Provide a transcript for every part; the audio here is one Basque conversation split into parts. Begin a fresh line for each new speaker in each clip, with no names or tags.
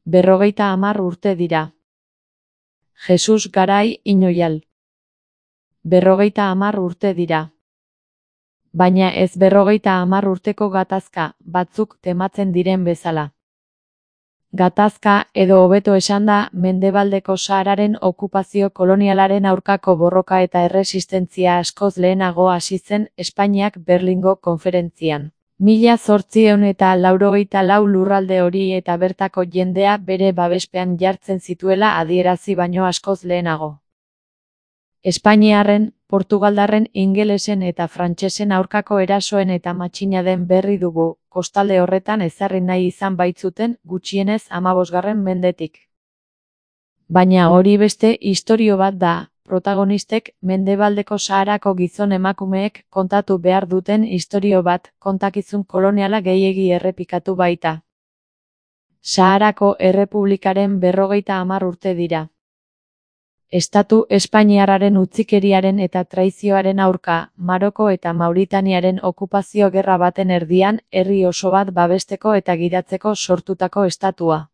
50 urte dira. Jesus Garai Inoial. 50 urte dira. Baina ez 50 urteko gatazka, batzuk tematzen diren bezala. Gatazka, edo hobeto esanda, Mendebaldeko Sahararen okupazio kolonialaren aurkako borroka eta erresistentzia askoz lehenago hasi zen Espainiak Berlingo konferentzian. 1884 lurralde hori eta bertako jendea bere babespean jartzen zituela adierazi baino askoz lehenago. Espainiarren, Portugaldarren, ingelesen eta frantsesen aurkako erasoen eta matxinaden berri dugu, kostalde horretan ezarri nahi izan baitzuten gutxienez 15. mendetik. Baina hori beste istorio bat da, protagonistek Mendebaldeko Saharako gizon emakumeek kontatu behar duten istorio bat, kontakizun koloniala gehiegi errepikatu baita. Saharako Errepublikaren 50 urte dira. Estatu espainiarraren utzikeriaren eta traizioaren aurka, Maroko eta Mauritaniaren okupazio gerra baten erdian, herri oso bat babesteko eta gidatzeko sortutako estatua.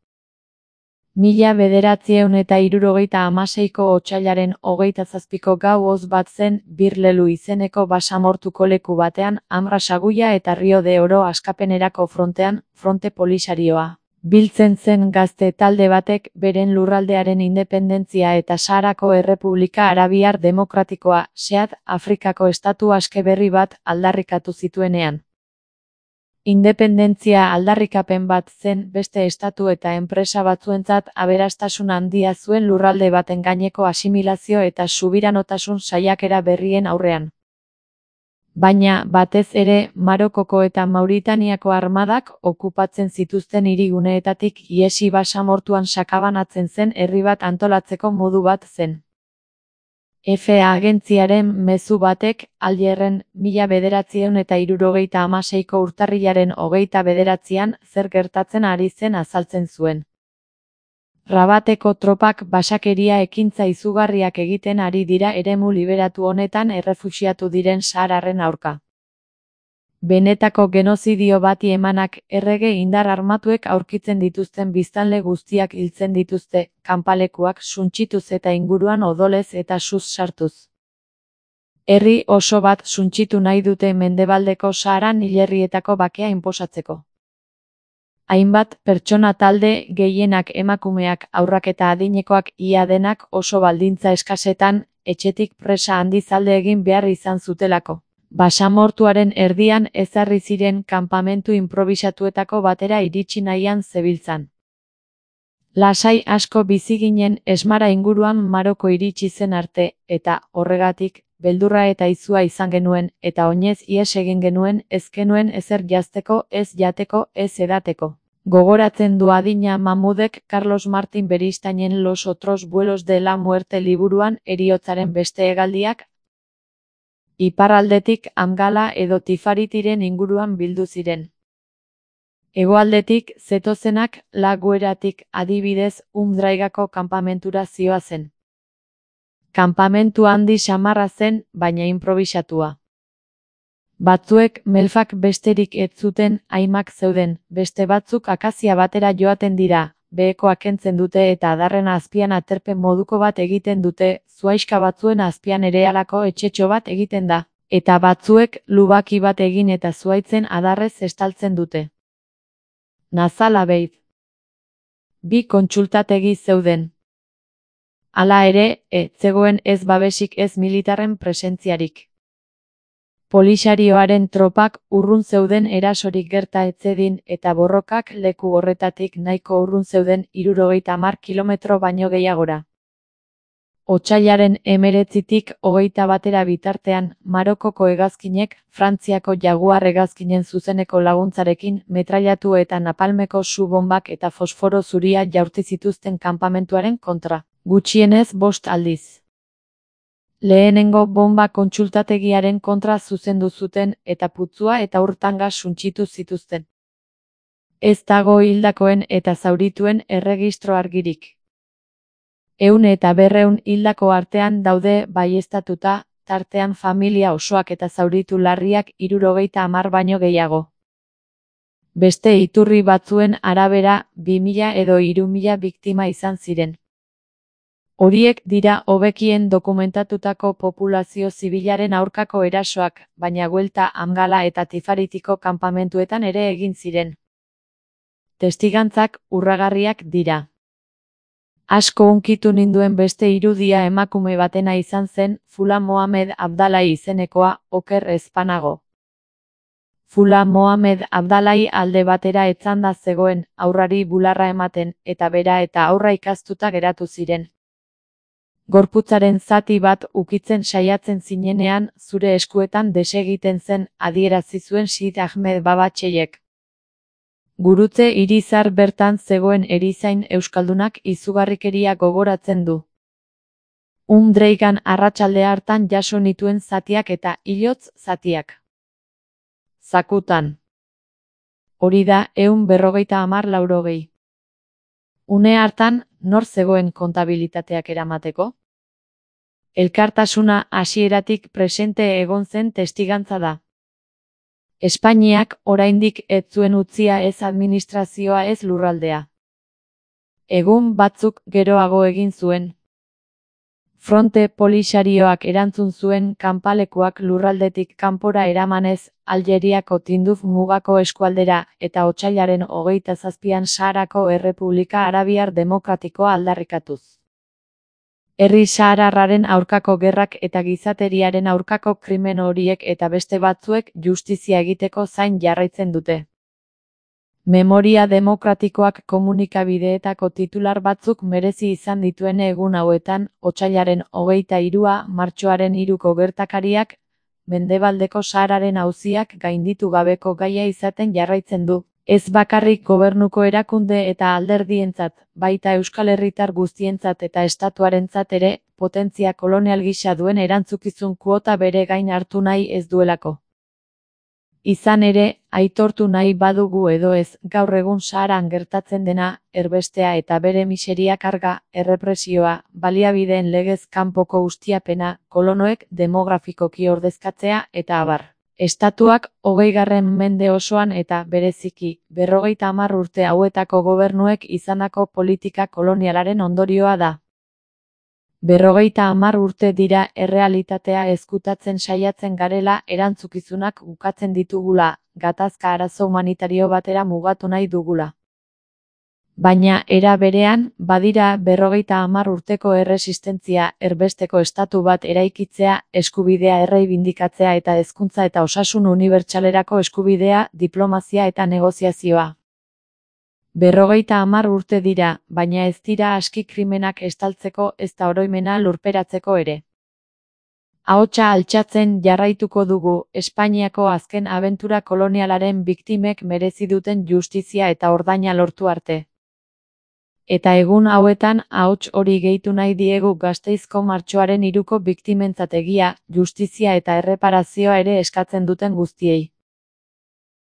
1976ko otsailaren 27ko gau hoz bat zen, Birlelu izeneko basamortuko leku batean, Amra Saguia eta Rio de Oro askapenerako frontean, Fronte Polisarioa. Biltzen zen gazte talde batek beren lurraldearen independentzia eta Saharako Errepublika Arabiar Demokratikoa, SEAT, Afrikako estatu aske berri bat aldarrikatu zituenean. Independentzia aldarrikapen bat zen beste estatu eta enpresa batzuentzat aberastasun handia zuen lurralde baten gaineko asimilazio eta subiranotasun saiakera berrien aurrean. Baina, batez ere, Marokoko eta Mauritaniako armadak okupatzen zituzten hiriguneetatik ihesi basamortuan sakabanatzen zen herri bat antolatzeko modu bat zen. FA agentziaren mezu batek, Algerren, 1976ko urtarrilaren 29an zer gertatzen ari zen azaltzen zuen. Rabateko tropak basakeria ekintza izugarriak egiten ari dira eremu liberatu honetan errefuxiatu diren sahararren aurka. Benetako genozidio bati emanak errege indar armatuek aurkitzen dituzten biztanle guztiak hiltzen dituzte, kanpalekuak suntsituz eta inguruan odolez eta suz sartuz. Herri oso bat suntsitu nahi dute Mendebaldeko Saharan hilerrietako bakea inposatzeko. Hainbat pertsona talde, gehienak emakumeak, haurrak eta adinekoak ia denak oso baldintza eskasetan, etxetik presa handiz alde egin behar izan zutelako. Basamortuaren erdian ezarri ziren kanpamentu inprobisatuetako batera iritsi nahian zebiltzan. Lasai asko bizi ginen Esmara inguruan Maroko iritsi zen arte, eta, horregatik, beldurra eta izua izan genuen, eta oinez ihes egin genuen, ez genuen ezer jazteko, ez jateko, ez edateko. Gogoratzen du adina Mamudek Carlos Martin Beristainen Los otros vuelos de la muerte liburuan heriotzaren beste hegaldiak, iparraldetik Amgala edo Tifaritiren inguruan bildu ziren. Hegoaldetik zetozenak La Gueratik adibidez Umdraigako kanpamentura zihoazen. Kanpamentu handi samarra zen, baina inprobisatua. Batzuek melfak besterik ez zuten, haimak zeuden, beste batzuk akazia batera joaten dira, behekoa kentzen dute eta adarren azpian aterpen moduko bat egiten dute, zuhaixka batzuen azpian ere halako etxetxo bat egiten da, eta batzuek lubaki bat egin eta zuhaitzen adarrez estaltzen dute. Nazala beit. Bi kontsultategi zeuden. Hala ere, zegoen ez babesik ez militarren presentziarik. Polisarioaren tropak urrun zeuden erasorik gerta etzedin eta borrokak leku horretatik nahiko urrun zeuden 70 kilometro baino gehiagora. Otsailaren 19tik 21 bitartean, Marokoko hegazkinek, Frantziako Jaguar hegazkinen zuzeneko laguntzarekin metrailatu eta napalmeko su-bombak eta fosforo zuria jaurti zituzten kanpamentuaren kontra, gutxienez 5 aldiz. Lehenengo bomba kontsultategiaren kontra zuzendu zuten eta putzua eta urtanga suntsitu zituzten. Ez dago hildakoen eta zaurituen erregistro argirik. 100 eta 200 hildako artean daude baieztatuta, tartean familia osoak eta zauritu larriak 70 baino gehiago. Beste iturri batzuen arabera, 2000 edo 3000 biktima izan ziren. Horiek dira hobekien dokumentatutako populazio zibilaren aurkako erasoak, baina Guelta, Amgala eta Tifaritiko kanpamentuetan ere egin ziren. Testigantzak urragarriak dira. Asko hunkitu ninduen beste irudia emakume batena izan zen, Fula Mohamed Abdalai izenekoa, oker ezpanago. Fula Mohamed Abdalai alde batera etzanda zegoen, haurrari bularra ematen, eta bera eta haurra ikastuta geratu ziren. Gorputzaren zati bat ukitzen saiatzen zinenean, zure eskuetan desegiten zen, adierazi zuen Sid Ahmed Babatxeiek. Gurutze Irizar bertan zegoen erizain euskaldunak izugarrikeria gogoratzen du. Dreigan arratsalde hartan jaso nituen zatiak eta hilotz zatiak. Zakutan. Hori da 150-laurogei. Une hartan, nor zegoen kontabilitateak eramateko? Elkartasuna hasieratik presente egon zen testigantza da. Espainiak oraindik ez zuen utzia ez administrazioa ez lurraldea. Egun batzuk geroago egin zuen. Fronte Polisarioak erantzun zuen kanpalekuak lurraldetik kanpora eramanez, Aljeriako Tinduf mugako eskualdera, eta otsailaren 27an Saharako Errepublika Arabiar Demokratikoa aldarrikatuz. Herri sahararraren aurkako gerrak eta gizateriaren aurkako krimen horiek eta beste batzuek justizia egiteko zain jarraitzen dute. Memoria demokratikoak komunikabideetako titular batzuk merezi izan dituen egun hauetan, otsailaren 23a, martxoaren 3ko gertakariak, Mendebaldeko Sahararen auziak gainditu gabeko gaia izaten jarraitzen du. Ez bakarrik gobernuko erakunde eta alderdientzat, baita euskal herritar guztientzat eta estatuarentzat ere, potentzia kolonial gisa duen erantzukizun kuota bere gain hartu nahi ez duelako. Izan ere, aitortu nahi badugu edo ez, gaur egun Saharan gertatzen dena, erbestea eta bere miseria karga, errepresioa, baliabideen legez kanpoko ustiapena, kolonoek demografikoki ordezkatzea eta abar. Estatuak 20. mende osoan eta, bereziki, 50 urte hauetako gobernuek izandako politika kolonialaren ondorioa da. 50 urte dira errealitatea ezkutatzen saiatzen garela erantzukizunak ukatzen ditugula, gatazka arazo humanitario batera mugatu nahi dugula. Baina, era berean, badira 50 urteko erresistentzia, erbesteko estatu bat eraikitzea, eskubidea erreibindikatzea eta hezkuntza eta osasun unibertsalerako eskubidea, diplomazia eta negoziazioa. 50 urte dira, baina ez dira aski krimenak estaltzeko ezta oroimena lurperatzeko ere. Ahotsa altxatzen jarraituko dugu, Espainiako azken abentura kolonialaren biktimek merezi duten justizia eta ordaina lortu arte. Eta egun hauetan ahots hori gehitu nahi diegu Gasteizko martxoaren 3ko biktimentzat egia, justizia eta erreparazioa ere eskatzen duten guztiei.